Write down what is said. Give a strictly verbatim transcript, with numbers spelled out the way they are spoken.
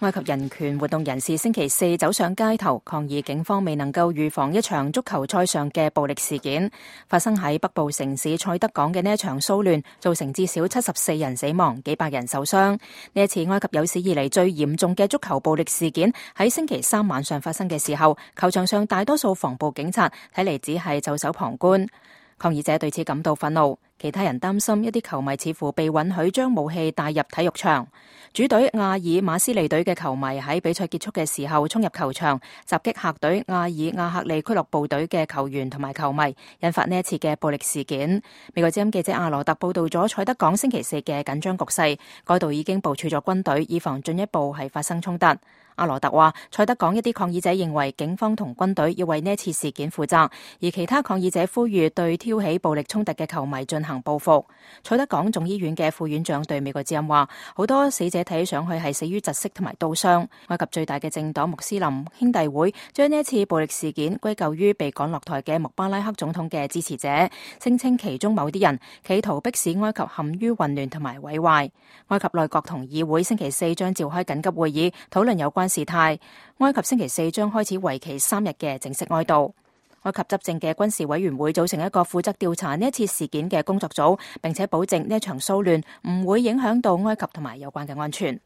埃及人權活動人士星期四走上街頭抗議警方未能夠預防一場足球賽上嘅暴力事件。發生喺北部城市塞德港嘅呢一場騷亂造成至少七十四人死亡，幾百人受傷。呢一次埃及有史以嚟最嚴重嘅足球暴力事件喺星期三晚上發生嘅時候，球場上大多數防暴警察睇嚟只係袖手旁觀。抗議者對此感到憤怒，其他人擔心一啲球迷似乎被允許將武器帶入體育場。主隊亞爾馬斯利隊嘅球迷喺比賽結束嘅時候衝入球場，襲擊客隊亞爾亞克利俱樂部隊嘅球員同埋球迷，引發呢一次嘅暴力事件。美國之音記者阿羅特報道咗塞德港星期四嘅緊張局勢，該度已經部署咗軍隊，以防進一步係發生衝突。阿羅特話，塞德港一啲抗議者認為警方同軍隊要為呢次事件負責，而其他抗議者呼籲對挑起暴力衝突嘅球迷進行報復。塞德港總醫院嘅副院長對美國之音話，好多死者睇上去係死於窒息同埋刀傷。埃及最大嘅政黨穆斯林兄弟會將呢一次暴力事件歸咎於被趕落台嘅穆巴拉克總統嘅支持者，聲稱其中某啲人企圖迫使埃及陷於混亂同埋毀壞。埃及內閣同議會星期四將召開緊急會議，討論有關事態。埃及星期四將開始為期三日嘅正式哀悼。埃及執政嘅軍事委員會組成一個負責調查呢一次事件嘅工作組，並且保證呢一場騷亂唔會影響到埃及同埋有關嘅安全。